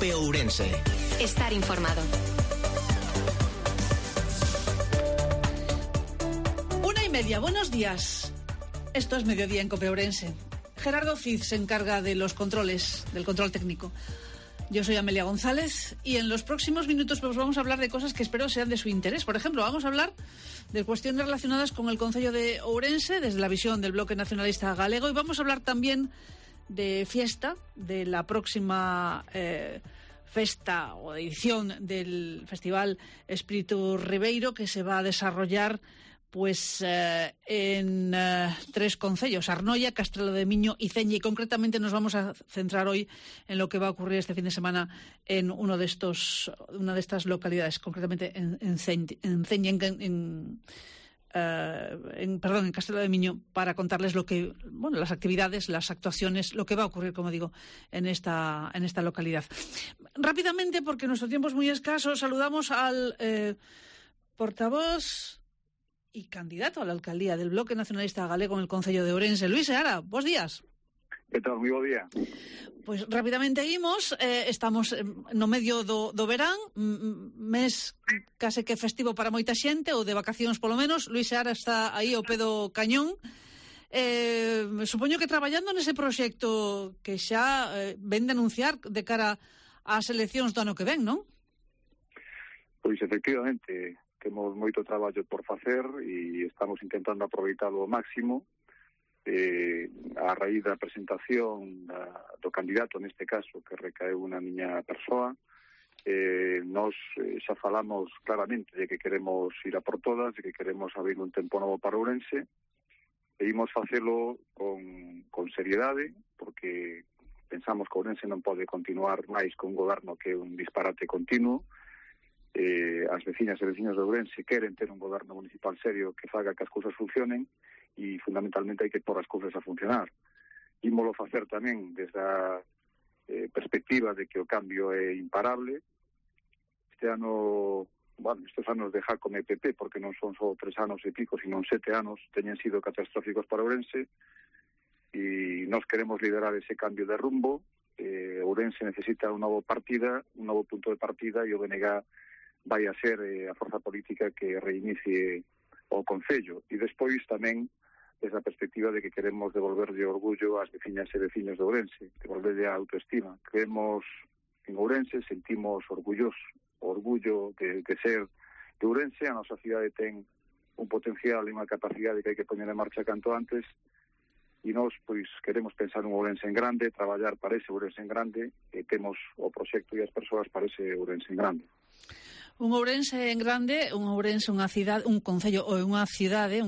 COPE Ourense. Estar informado. 1:30, buenos días. Esto es Mediodía en COPE Ourense. Gerardo Fiz se encarga de los controles, del control técnico. Yo soy Amelia González y en los próximos minutos pues vamos a hablar de cosas que espero sean de su interés. Por ejemplo, vamos a hablar de cuestiones relacionadas con el Concello de Ourense desde la visión del Bloque Nacionalista Galego, y vamos a hablar también de fiesta, de la próxima festa o edición del Festival Espíritu Ribeiro, que se va a desarrollar pues en 3 concellos: Arnoia, Castrelo de Miño y Ceña, y concretamente nos vamos a centrar hoy en lo que va a ocurrir este fin de semana en una de estas localidades, concretamente en Ceña, en Castrelo de Miño, para contarles las actividades, las actuaciones, lo que va a ocurrir, como digo, en esta localidad. Rápidamente, porque nuestro tiempo es muy escaso, saludamos al portavoz y candidato a la alcaldía del Bloque Nacionalista Galego en el Concello de Ourense, Luís Seara. Bos días. Que tal? Moi bo día. Pois rapidamente imos, estamos no medio do verán, mes case que festivo para moita xente, ou de vacacións polo menos. Luís Seara está aí ao pé do cañón. Supoño que traballando nese proxecto que xa ven de anunciar de cara ás eleccións do ano que ven, non? Pois efectivamente, temos moito traballo por facer e estamos intentando aproveitalo ao máximo. A raíz da presentación do candidato, neste caso, que recaeu na miña persoa, nós xa falamos claramente de que queremos ir a por todas, de que queremos abrir un tempo novo para Ourense, e imos facelo con seriedade, porque pensamos que Ourense non pode continuar máis con un goberno que é un disparate continuo. As veciñas e veciños de Ourense queren ter un goberno municipal serio que faga que as cousas funcionen, e fundamentalmente hai que pôr as cousas a funcionar. Ímolo facer tamén desde a perspectiva de que o cambio é imparable. Estes anos de Jacome e PP, porque non son só 3 anos e pico, sino 7 anos, teñen sido catastróficos para Ourense, e nós queremos liderar ese cambio de rumbo. Ourense necesita un novo punto de partida, e o BNG vai a ser a forza política que reinicie o Concello. E despois tamén desde a perspectiva de que queremos devolverlle orgullo ás veciñas e veciños de Ourense, devolverlle a autoestima. Creemos en Ourense, sentimos orgullo de ser de Ourense. A nosa cidade ten un potencial e unha capacidade que hai que poñer en marcha canto antes, e nós pois queremos pensar un Ourense en grande, traballar para ese Ourense en grande, e temos o proxecto e as persoas para ese Ourense en grande. Un Ourense en grande, un Ourense, unha cidade, un concello ou unha cidade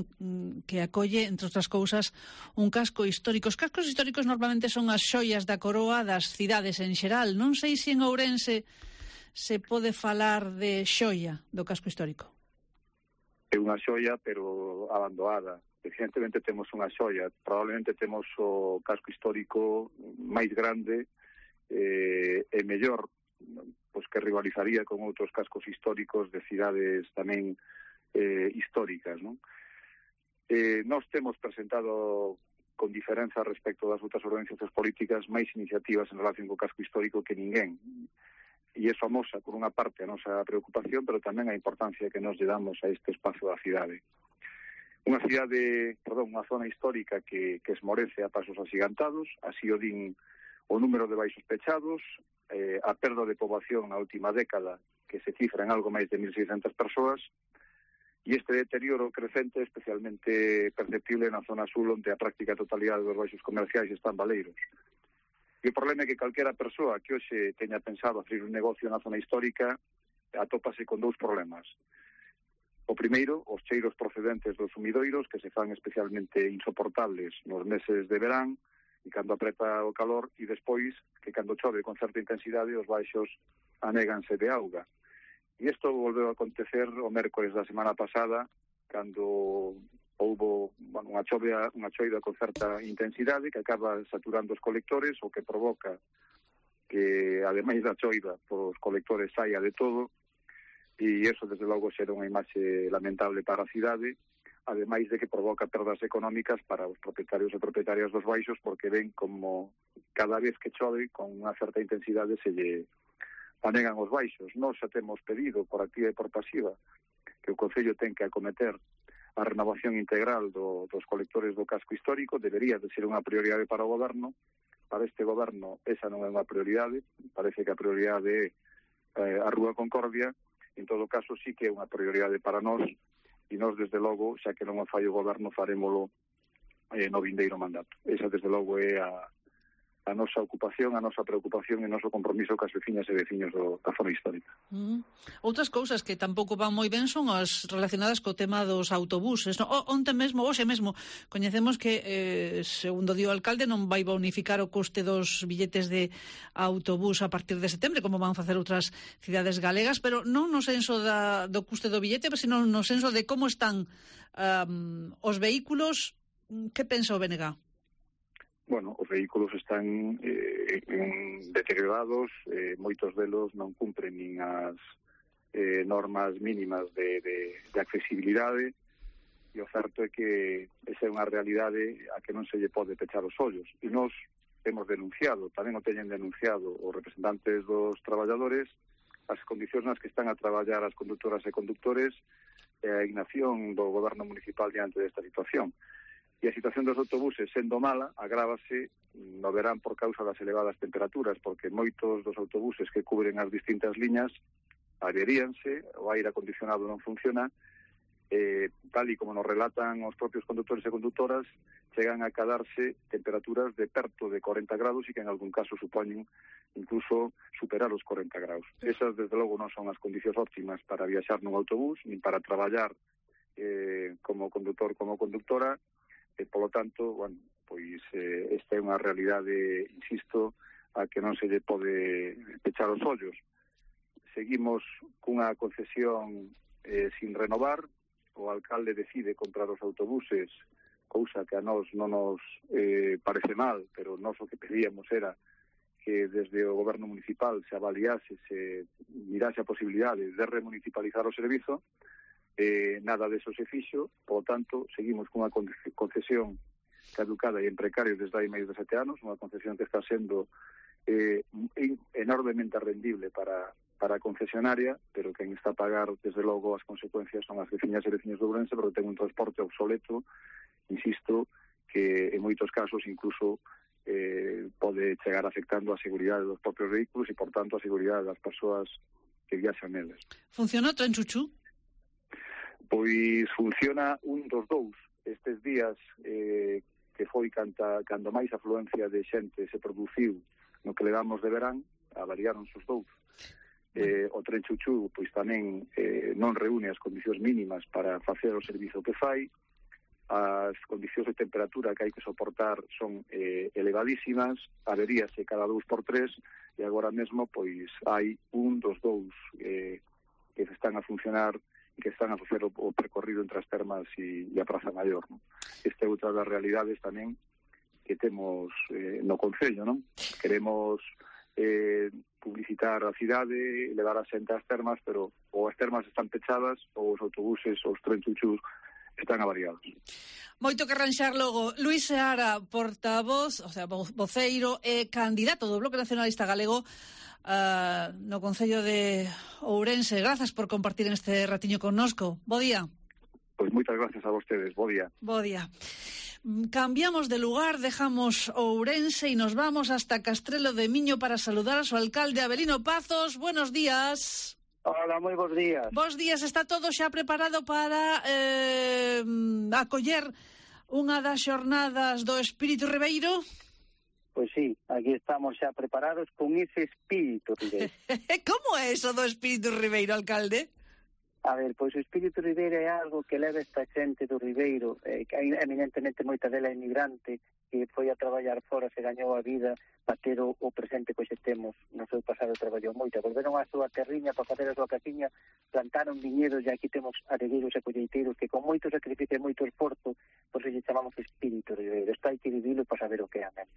que acolle, entre outras cousas, un casco histórico. Os cascos históricos normalmente son as xoias da coroa das cidades en xeral. Non sei se en Ourense se pode falar de xoia do casco histórico. É unha xoia, pero abandonada. Evidentemente temos unha xoia. Probablemente temos o casco histórico máis grande e mellor, pois que rivalizaría con outros cascos históricos de cidades tamén históricas, non? Nós temos presentado con diferenza respecto das outras organizacións políticas máis iniciativas en relación co casco histórico que ninguén, e é famosa por unha parte a nosa preocupación, pero tamén a importancia que nos lle damos a este espazo da cidade. Unha zona histórica que esmorece a pasos axigantados, así o din o número de baixos pechados, a perda de poboación na última década, que se cifra en algo máis de 1.600 persoas, e este deterioro crecente especialmente perceptible na zona sul, onde a práctica totalidade dos baixos comerciais están baleiros. E o problema é que calquera persoa que hoxe teña pensado abrir un negocio na zona histórica atópase con 2 problemas. O primeiro, os cheiros procedentes dos sumidoiros, que se fan especialmente insoportables nos meses de verán, e cando apreta o calor, e despois que cando chove con certa intensidade os baixos anéganse de auga. E isto volveu a acontecer o mércores da semana pasada, cando houbo unha choida con certa intensidade que acaba saturando os colectores, o que provoca que, ademais da choida, os colectores saia de todo, e iso, desde logo, xera unha imaxe lamentable para a cidade, ademais de que provoca perdas económicas para os propietarios e propietarias dos baixos, porque ven como cada vez que chove con unha certa intensidade se lle anegan os baixos. Nós xa temos pedido por activa e por pasiva que o Concello ten que acometer a renovación integral dos colectores do casco histórico. Debería de ser unha prioridade para o Goberno. Para este Goberno esa non é unha prioridade, parece que a prioridade é a Rúa Concordia. En todo caso sí que é unha prioridade para nós, e nós desde logo, xa que non o fai o Goberno, farémolo no vindeiro mandato. Esa desde logo é a nosa ocupación, a nosa preocupación e o noso compromiso cas veciñas e veciños da zona histórica. Outras cousas que tampouco van moi ben son as relacionadas co tema dos autobuses. Onte mesmo, hoxe mesmo, coñecemos que, segundo di o alcalde, non vai bonificar o custe dos billetes de autobús a partir de setembro, como van facer outras cidades galegas, pero non no senso do custe do billete, sino no senso de como están os vehículos. Que pensa o BNG? Bueno, os vehículos están deteriorados, moitos delos non cumpren nin as normas mínimas de accesibilidade, e o certo é que esa é unha realidade a que non se lle pode pechar os ollos. E nós hemos denunciado, tamén o teñen denunciado os representantes dos traballadores, as condicións nas que están a traballar as conductoras e conductores e a inacción do Goberno municipal diante desta situación. E a situación dos autobuses, sendo mala, agrávase no verán por causa das elevadas temperaturas, porque moitos dos autobuses que cubren as distintas liñas averíanse, o aire acondicionado non funciona, tal e como nos relatan os propios conductores e conductoras, chegan a cadarse temperaturas de perto de 40 graus e que en algún caso supoñen incluso superar os 40 graus. Esas, desde logo, non son as condicións óptimas para viaxar nun autobús, nin para traballar como conductor, como conductora. Polo tanto, bueno, pois esta é unha realidade, insisto, a que non se lle pode pechar os ollos. Seguimos cunha concesión sin renovar, o alcalde decide comprar os autobuses, cousa que a nós non nos parece mal, pero nós o que pedíamos era que desde o Goberno municipal se avaliase, se mirase a posibilidade de remunicipalizar o servizo. Nada deso se fixo, por tanto, seguimos cunha concesión caducada e en precario desde hai máis de 7 anos, unha concesión que está sendo enormemente rendible para a concesionaria, pero quen está a pagar, desde logo, as consecuencias son as veciñas e veciños de Ourense, porque ten un transporte obsoleto, insisto, que en moitos casos incluso pode chegar afectando a seguridade dos propios vehículos e, por tanto, a seguridade das persoas que viaxan neles. Funcionou Tren Chuchu? Pois funciona un dos dous. Estes días que foi cando máis afluencia de xente se produciu no que levamos de verán, avariaron os dous. O Tren Chuchu pois tamén non reúne as condicións mínimas para facer o servizo que fai. As condicións de temperatura que hai que soportar son elevadísimas, averíase cada 2x3, e agora mesmo pois hai un dos dous que están a funcionar, que están a facer o percorrido entre as termas e a Praza Maior, non? Esta é outra das realidades tamén que temos no Concello, non? Queremos publicitar a cidade, levar a xente ás termas, pero ou as termas están pechadas ou os autobuses ou os Tren Chuchus están avariados. Moito que arranxar logo. Luís Seara, portavoz, o sea, voceiro e candidato do Bloque Nacionalista Galego no Concello de Ourense. Grazas por compartir este ratiño connosco. Bo día. Pois moitas gracias a vostedes. Bo día. Bo día. Cambiamos de lugar, dejamos Ourense e nos vamos hasta Castrelo de Miño para saludar a su alcalde Avelino Pazos. Buenos días. Hola, moi bons días. Bos días. Está todo xa preparado para acoller unha das xornadas do Espírito Ribeiro? Pois sí, aquí estamos xa preparados con ese espírito ribeiro. Como é eso do espírito ribeiro, alcalde? A ver, pois o espírito ribeiro é algo que leva esta xente do Ribeiro, que eminentemente moita dela é migrante, que foi a traballar fora, se gañou a vida para ter o presente que hoxe temos. No seu pasado traballou moito, volveron á súa terriña para facer a súa casiña, plantaron viñedos e aquí temos aregueiros e colleiteiros que con moito sacrificio e moito esforzo, por eso lle chamamos espírito ribeiro. Está aí que vivilo para saber o que é, amén.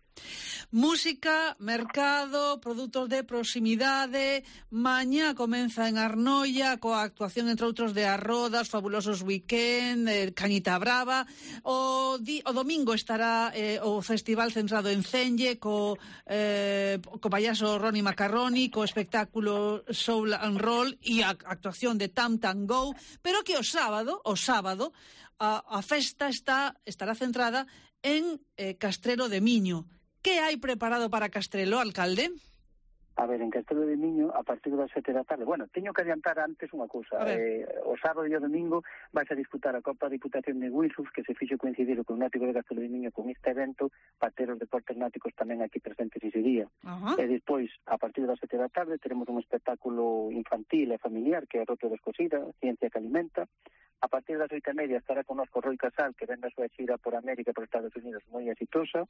Música, mercado, produtos de proximidade. Mañá comeza en Arnoia coa actuación, entre outros, de Arrodas, Fabulosos Weekend, Cañita Brava. O domingo estará o o festival centrado en Cenge, co payaso Ronnie Macaroni, co espectáculo Soul and Roll e a actuación de Tam Tam Go, pero que o sábado, a festa estará centrada en Castrelo de Miño. Que hai preparado para Castrelo, alcalde? A ver, en Castrelo de Miño, a partir das 7 da tarde, bueno, teño que adiantar antes unha cousa. O sábado e o domingo vais a disputar a Copa Diputación de Guixos, que se fixo coincidir con o Náutico de Castrelo de Miño con este evento, para ter os deportes náuticos tamén aquí presentes ese día. E despois, a partir das 7 da tarde, teremos un espectáculo infantil e familiar, que é Roto Descosida, Ciencia que Alimenta. A partir das 8:30 estará connosco Roi Casal, que ven da súa xira por América e por Estados Unidos moi exitosa.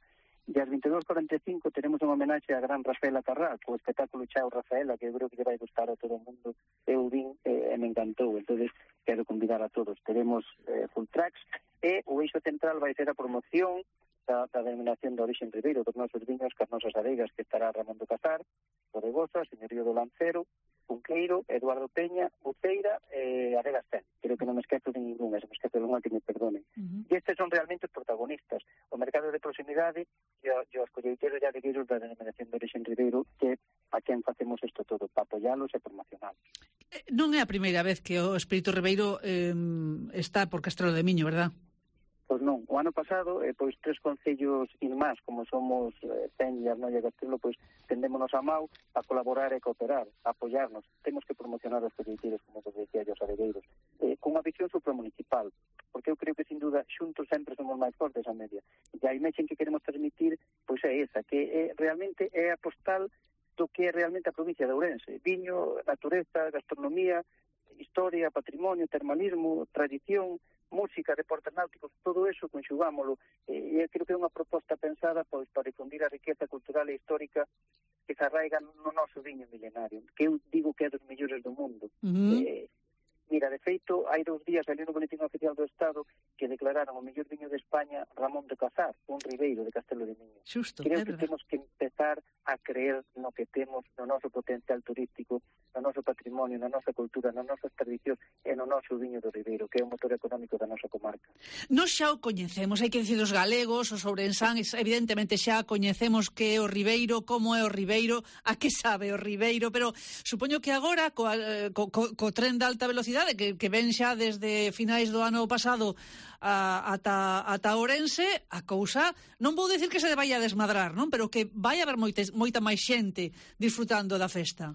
E ás 22:45 teremos unha homenaxe a gran Rafaela Carrá, co espectáculo Chao Rafaela, que eu creo que lle vai gustar a todo o mundo. Eu vin e me encantou, entonces quero convidar a todos. Teremos full tracks e o eixo central vai ser a promoción da denominación de origen Ribeiro dos nosos viños, Cas Nosas Adegas, que estará Ramón do Casar, Bodegosa, Señorío do Lancero, Cunqueiro, Eduardo Peña, Uceira e Adegas Ten. Creo que non me esquezo de ninguna, se me esquezo de unha que me perdonen. E estes son realmente os protagonistas. O mercado de proximidade e os colleiteiros e adegueiros da denominación de origen Ribeiro, que a quen facemos isto todo, para apoialos e promocionalos. Non é a primeira vez que o Espírito Ribeiro está por Castrelo de Miño, verdad? Pois non, o ano pasado, pois 3 concellos irmás, como somos Cenge, Arnoia e Castrelo, pois tendémonos a mao a colaborar e cooperar, a apoiarnos. Temos que promocionar os colleiteiros, como vos decía, os adegueiros, con unha visión supramunicipal, porque eu creo que, sin duda, xuntos sempre somos máis fortes a media. E a imaxe que queremos transmitir, pois é esa, que realmente é a postal do que é realmente a provincia de Ourense. Viño, natureza, gastronomía, historia, patrimonio, termalismo, tradición, música, deportes náuticos, todo eso conxugámolo, e creo que é unha proposta pensada pois para difundir a riqueza cultural e histórica que se arraiga no noso viño milenario, que eu digo que é dos mellores do mundo. Mira, de feito, hai 2 días saliu no Boletín Oficial do Estado que declararon o mellor viño de España Ramón de Casar, un ribeiro de Castrelo de Miño. Creo que temos que empezar a creer no que temos, no noso potencial turístico, no noso patrimonio, na nosa cultura, nas nosas tradicións e no noso viño do ribeiro, que é o motor económico da nosa comarca. Nos xa o coñecemos, hai que dicir os galegos, os ourensáns, evidentemente xa coñecemos que é o ribeiro, como é o ribeiro, a que sabe o ribeiro, pero supoño que agora, co tren de alta velocidade, que ven xa desde finais do ano pasado ata Ourense, a cousa, non vou dicir que se vai a desmadrar, non? Pero que vai haber moita máis xente disfrutando da festa.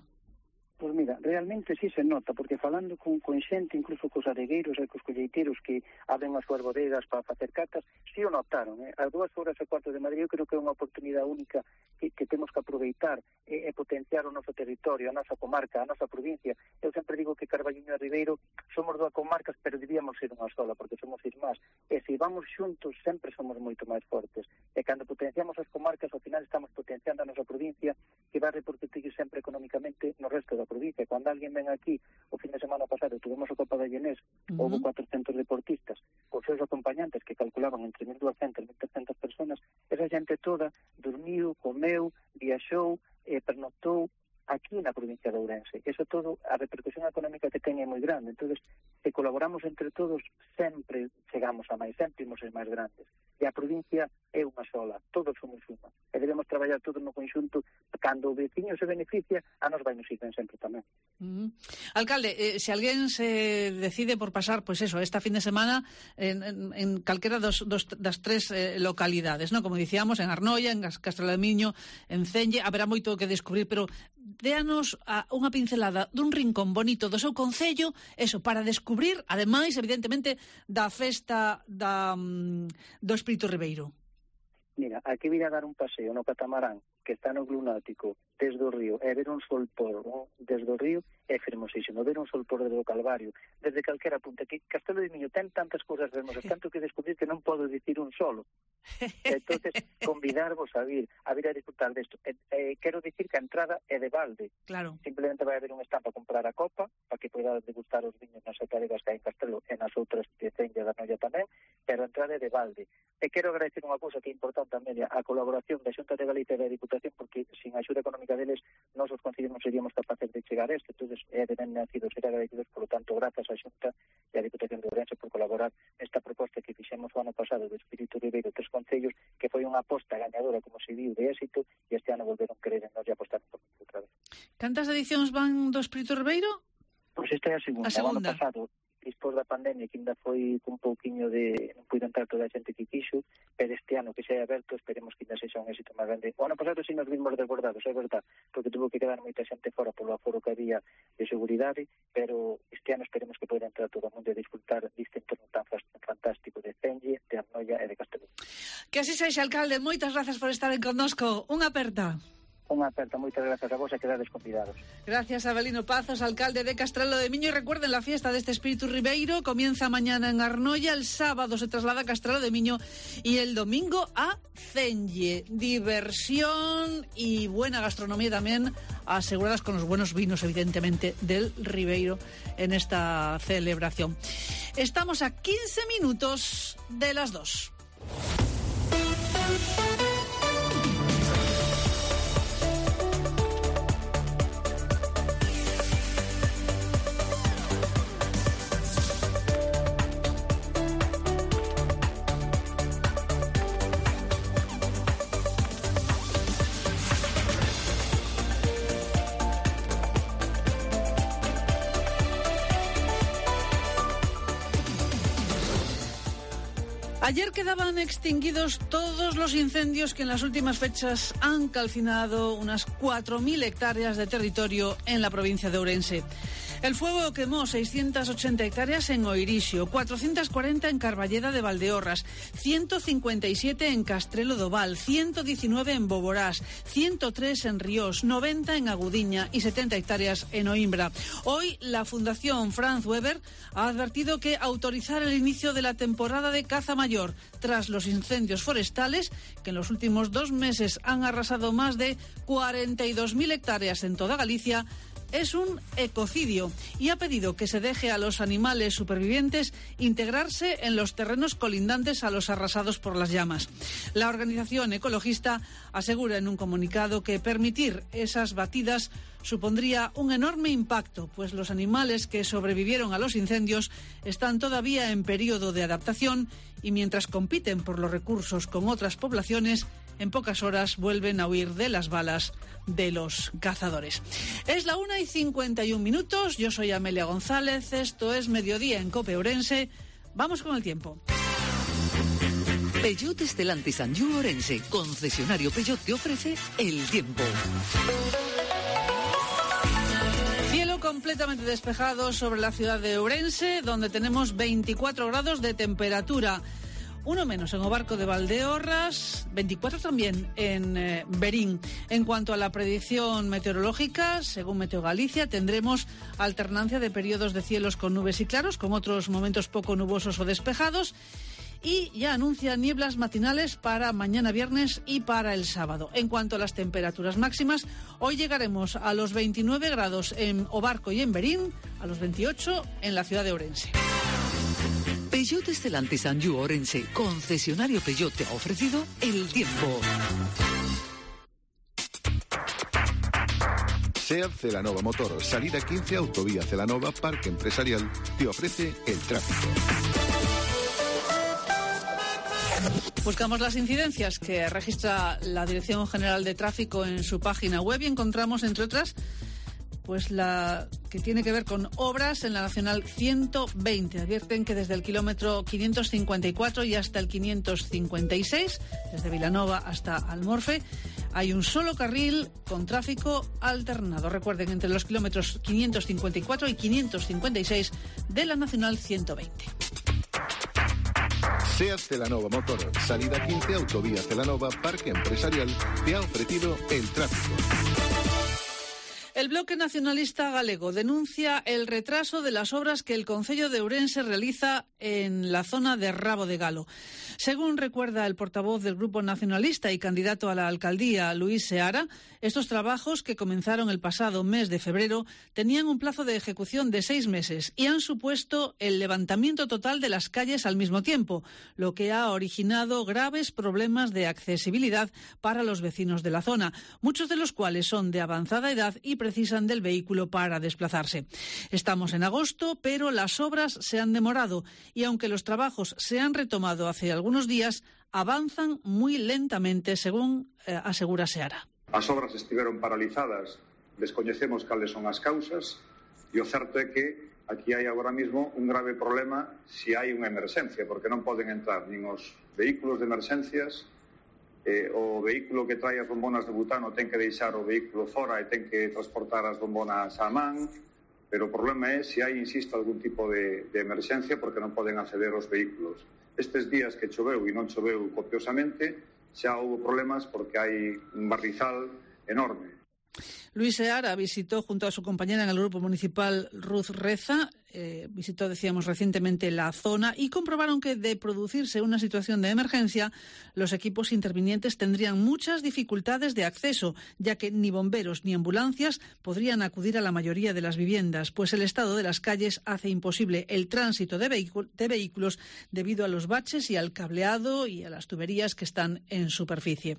Pois mira, realmente sí se nota, porque falando con xente, incluso cos adegueiros e cos colleiteiros que abren as súas bodegas para facer catas, sí o notaron. As 2:15 de Madrid eu creo que é unha oportunidade única que temos que aproveitar e potenciar o noso territorio, a nosa comarca, a nosa provincia. Eu sempre digo que Carballiño e Ribeiro somos 2 comarcas, pero debíamos ser unha sola, porque somos irmás. E se vamos xuntos, sempre somos moito máis fortes. E cando potenciamos as comarcas, ao final estamos potenciando a nosa provincia, que vai repercutir sempre económicamente no resto da provincia. Cando alguén ven aquí, o fin de semana pasado, tuvemos a Copa de Llenés, houve 400 deportistas, os seus acompañantes que calculaban entre 1.200 e 1.300 personas, esa xente toda dormiu, comeu, viaxou, pernoctou aquí na provincia de Ourense. Eso todo, a repercusión económica que ten é moi grande. Entonces, se colaboramos entre todos, sempre chegamos a máis, sempre imos ser máis grandes. E a provincia é unha sola, todos somos unha. E debemos traballar todos no conxunto. Cando o veciño se beneficia, a nos vai nos ir ben sempre tamén. Alcalde, se alguén se decide por pasar, pois eso, esta fin de semana en calquera das 3 localidades, ¿no? Como dicíamos, en Arnoia, en Castrelo de Miño, en Cenge, haberá moito que descubrir, pero déanos unha pincelada dun rincón bonito do seu concello, eso, para descubrir, ademais, evidentemente, da festa do Espírito Ribeiro. Mira, aquí vir a dar un paseo no catamarán, que está no Club Náutico, desde o río, e ver un sol por desde o río, é fermosísimo. Ver un sol por desde o Calvario, desde calquera punta. Que Castrelo de Miño ten tantas cousas fermosas, tanto que descubrir que non podo dicir un solo. Entonces, convidarvos a vir a disfrutar desto. Quero dicir que a entrada é de balde. Claro. Simplemente vai haber un stand para comprar a copa, para que poida degustar os viños nas adegas que hai en Castrelo e nas outras que Cenge da Noia tamén, pero a entrada é de balde. E quero agradecer unha cousa que é importante conta, Amelia, a colaboración da Xunta de Galicia e da Diputación, porque sin a axuda económica deles, nós os concellos non seríamos capaces de chegar a isto. Entón, é de ben nacido ser agradecidos, por lo tanto, grazas á Xunta e a Diputación de Ourense por colaborar nesta proposta que fixemos o ano pasado do Espírito Ribeiro 3 concellos, que foi unha aposta gañadora, como se viu, de éxito, e este ano volveron querer en nós e apostar por outra vez. Cantas edicións van do Espírito Ribeiro? Pois esta é a segunda. O ano pasado, despois da pandemia, que ainda foi un pouquiño de... non puido entrar toda a xente que quixo, pero este ano que se é aberto, esperemos que ainda sexa un éxito máis grande. O ano pasado sí nos vimos desbordados, é verdad, porque tuvo que quedar moita xente fora polo aforo que había de seguridade, pero este ano esperemos que poida entrar todo o mundo e disfrutar deste entorno tan fantástico de Cenlle, de Arnoia e de Castellón. Que así sexa, alcalde. Moitas grazas por estar connosco. Unha aperta. Unha aperta, moitas grazas a vos e quedades convidados. Gracias a Avelino Pazos, alcalde de Castrelo de Miño. Y recuerden, la fiesta de este Espíritu Ribeiro comienza mañana en Arnoia, el sábado se traslada a Castrelo de Miño y el domingo a Cenlle. Diversión y buena gastronomía también, aseguradas con los buenos vinos, evidentemente, del Ribeiro en esta celebración. Estamos a 15 minutos de las 2. Ayer quedaban extinguidos todos los incendios que en las últimas fechas han calcinado unas 4.000 hectáreas de territorio en la provincia de Ourense. El fuego quemó 680 hectáreas en Oirixio, 440 en Carballeda de Valdeorras, 157 en Castrelo do Val, 119 en Boborás, 103 en Ríos, 90 en Agudiña y 70 hectáreas en Oimbra. Hoy la Fundación Franz Weber ha advertido que autorizar el inicio de la temporada de caza mayor tras los incendios forestales, que en los últimos 2 meses han arrasado más de 42.000 hectáreas en toda Galicia, es un ecocidio y ha pedido que se deje a los animales supervivientes integrarse en los terrenos colindantes a los arrasados por las llamas. La organización ecologista asegura en un comunicado que permitir esas batidas supondría un enorme impacto, pues los animales que sobrevivieron a los incendios están todavía en periodo de adaptación y mientras compiten por los recursos con otras poblaciones, en pocas horas vuelven a huir de las balas de los cazadores. Es la 1:51. Yo soy Amelia González. Esto es Mediodía en COPE Ourense. Vamos con el tiempo. Peugeot Stellantis Anjou Ourense, concesionario Peugeot, te ofrece el tiempo. Cielo completamente despejado sobre la ciudad de Ourense, donde tenemos 24 grados de temperatura. Uno menos en Obarco de Valdeorras, 24 también en Berín. En cuanto a la predicción meteorológica, según Meteo Galicia, tendremos alternancia de periodos de cielos con nubes y claros, con otros momentos poco nubosos o despejados. Y ya anuncia nieblas matinales para mañana viernes y para el sábado. En cuanto a las temperaturas máximas, hoy llegaremos a los 29 grados en Obarco y en Berín, a los 28 en la ciudad de Ourense. Peugeot Stellantis Anjou Ourense, concesionario Peugeot, te ha ofrecido el tiempo. SEAT Celanova Motor, salida 15, autovía Celanova, Parque Empresarial, te ofrece el tráfico. Buscamos las incidencias que registra la Dirección General de Tráfico en su página web y encontramos, entre otras, pues la que tiene que ver con obras en la Nacional 120. Advierten que desde el kilómetro 554 y hasta el 556, desde Vilanova hasta Almorfe, hay un solo carril con tráfico alternado. Recuerden, entre los kilómetros 554 y 556 de la Nacional 120. SEAT Celanova Motor, salida 15, autovía Celanova, Parque Empresarial, te ha ofrecido el tráfico. El Bloque Nacionalista Galego denuncia el retraso de las obras que el Concello de Ourense realiza en la zona de Rabo de Galo. Según recuerda el portavoz del Grupo Nacionalista y candidato a la alcaldía, Luis Seara, estos trabajos, que comenzaron el pasado mes de febrero, tenían un plazo de ejecución de 6 meses y han supuesto el levantamiento total de las calles al mismo tiempo, lo que ha originado graves problemas de accesibilidad para los vecinos de la zona, muchos de los cuales son de avanzada edad y precisan del vehículo para desplazarse. Estamos en agosto, pero las obras se han demorado y aunque los trabajos se han retomado hace algunos días, avanzan muy lentamente, según asegura Seara. As obras estiveron paralizadas, descoñecemos cales son as causas e o certo é que aquí hai agora mismo un grave problema se hai unha emerxencia, porque non poden entrar nin os vehículos de emerxencias, o vehículo que trae as bombonas de butano ten que deixar o vehículo fora e ten que transportar as bombonas á man, pero o problema é se hai, insisto, algún tipo de emerxencia porque non poden acceder aos vehículos. Estes días que choveu e non choveu copiosamente, xa houve problemas porque hai un barrizal enorme. Luis Seara visitó junto a su compañera en el grupo municipal, Ruth Reza, visitó, decíamos, recientemente la zona y comprobaron que de producirse una situación de emergencia, los equipos intervinientes tendrían muchas dificultades de acceso, ya que ni bomberos ni ambulancias podrían acudir a la mayoría de las viviendas, pues el estado de las calles hace imposible el tránsito de vehículos debido a los baches y al cableado y a las tuberías que están en superficie.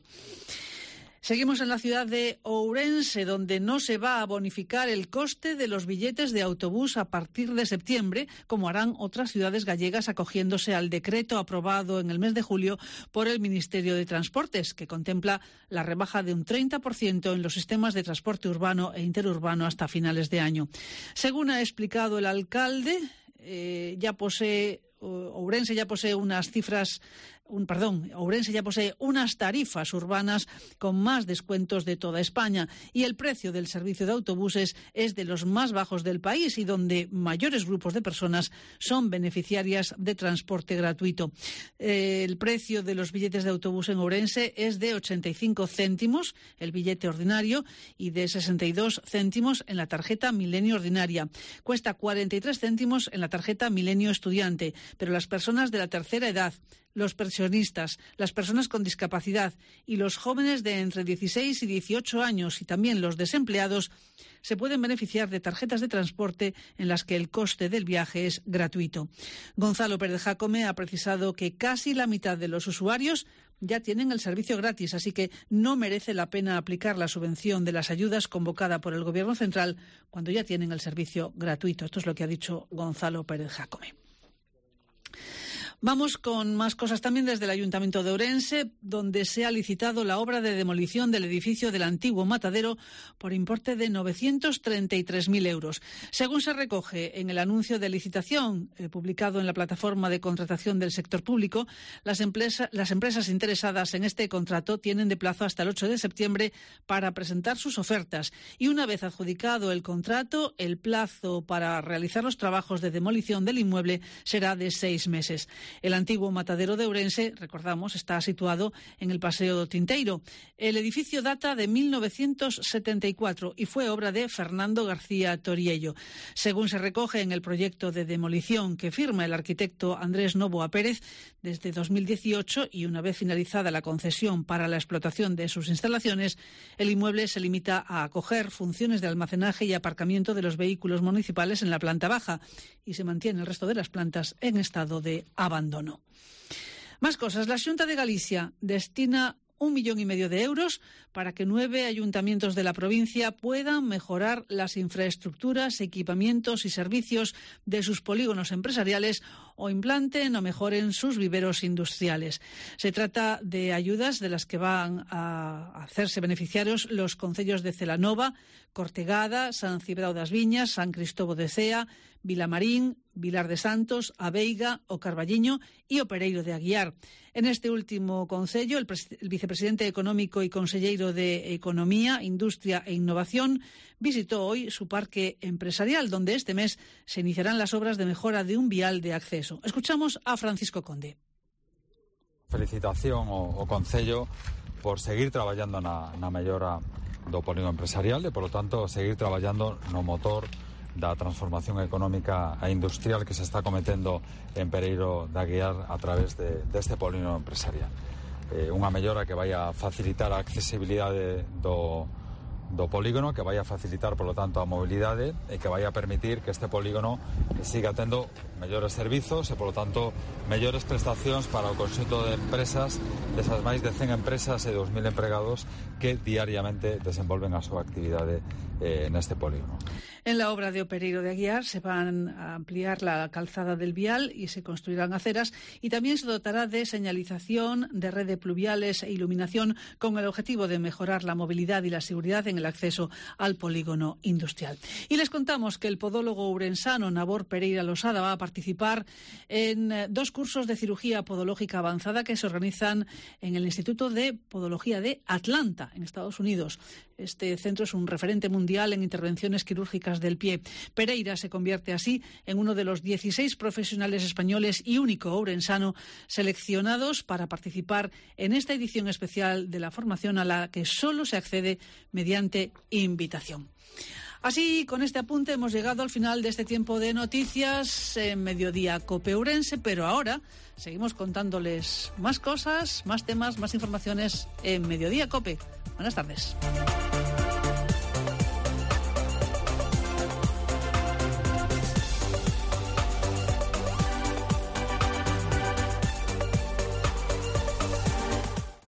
Seguimos en la ciudad de Ourense, donde no se va a bonificar el coste de los billetes de autobús a partir de septiembre, como harán otras ciudades gallegas acogiéndose al decreto aprobado en el mes de julio por el Ministerio de Transportes, que contempla la rebaja de un 30% en los sistemas de transporte urbano e interurbano hasta finales de año. Según ha explicado el alcalde, Ourense ya posee unas tarifas urbanas con más descuentos de toda España y el precio del servicio de autobuses es de los más bajos del país y donde mayores grupos de personas son beneficiarias de transporte gratuito. El precio de los billetes de autobús en Ourense es de 85 céntimos el billete ordinario y de 62 céntimos en la tarjeta Milenio ordinaria. Cuesta 43 céntimos en la tarjeta Milenio estudiante, pero las personas de la tercera edad, los pensionistas, las personas con discapacidad y los jóvenes de entre 16 y 18 años y también los desempleados se pueden beneficiar de tarjetas de transporte en las que el coste del viaje es gratuito. Gonzalo Pérez Jácome ha precisado que casi la mitad de los usuarios ya tienen el servicio gratis, así que no merece la pena aplicar la subvención de las ayudas convocada por el Gobierno central cuando ya tienen el servicio gratuito. Esto es lo que ha dicho Gonzalo Pérez Jácome. Vamos con más cosas también desde el Ayuntamiento de Ourense, donde se ha licitado la obra de demolición del edificio del antiguo matadero por importe de 933.000 euros. Según se recoge en el anuncio de licitación publicado en la plataforma de contratación del sector público, las empresas interesadas en este contrato tienen de plazo hasta el 8 de septiembre para presentar sus ofertas y una vez adjudicado el contrato, el plazo para realizar los trabajos de demolición del inmueble será de 6 meses. El antiguo matadero de Ourense, recordamos, está situado en el Paseo do Tinteiro. El edificio data de 1974 y fue obra de Fernando García Toriello. Según se recoge en el proyecto de demolición que firma el arquitecto Andrés Novoa Pérez, desde 2018 y una vez finalizada la concesión para la explotación de sus instalaciones, el inmueble se limita a acoger funciones de almacenaje y aparcamiento de los vehículos municipales en la planta baja y se mantiene el resto de las plantas en estado de abandono. Más cosas. La Xunta de Galicia destina 1,5 millones de euros para que 9 ayuntamientos de la provincia puedan mejorar las infraestructuras, equipamientos y servicios de sus polígonos empresariales o implanten o mejoren sus viveros industriales. Se trata de ayudas de las que van a hacerse beneficiarios los concellos de Celanova, Cortegada, San Cibrao das Viñas, San Cristóbal de Cea, Vilamarín, Vilar de Santos, Aveiga, o Carballiño y o Pereiro de Aguiar. En este último concello, el vicepresidente económico y conselleiro de Economía, Industria e Innovación visitó hoy su parque empresarial, donde este mes se iniciarán las obras de mejora de un vial de acceso. Escuchamos a Francisco Conde. Felicitación ao concello por seguir traballando na mellora do polígono empresarial e, polo tanto, seguir traballando no motor da transformación económica e industrial que se está cometendo en Pereiro de Aguiar a través deste polígono empresarial. Unha mellora que vai a facilitar a accesibilidade do polígono, que vai a facilitar, polo tanto, a mobilidade e que vai a permitir que este polígono siga tendo mellores servizos e, polo tanto, mellores prestacións para o conxunto de empresas, desas máis de 100 empresas e 2.000 empregados que diariamente desenvolven a súa actividade neste polígono. En la obra de Pereiro de Aguiar se van a ampliar la calzada del vial y se construirán aceras, y también se dotará de señalización, de red de pluviales e iluminación con el objetivo de mejorar la movilidad y la seguridad en el acceso al polígono industrial. Y les contamos que el podólogo ourensano Nabor Pereira Losada va a participar en 2 cursos de cirugía podológica avanzada que se organizan en el Instituto de Podología de Atlanta, en Estados Unidos. Este centro es un referente mundial en intervenciones quirúrgicas del pie. Pereira se convierte así en uno de los 16 profesionales españoles y único ourensano seleccionados para participar en esta edición especial de la formación, a la que solo se accede mediante invitación. Así, con este apunte hemos llegado al final de este tiempo de noticias en Mediodía Cope Ourense, pero ahora seguimos contándoles más cosas, más temas, más informaciones en Mediodía Cope. Buenas tardes.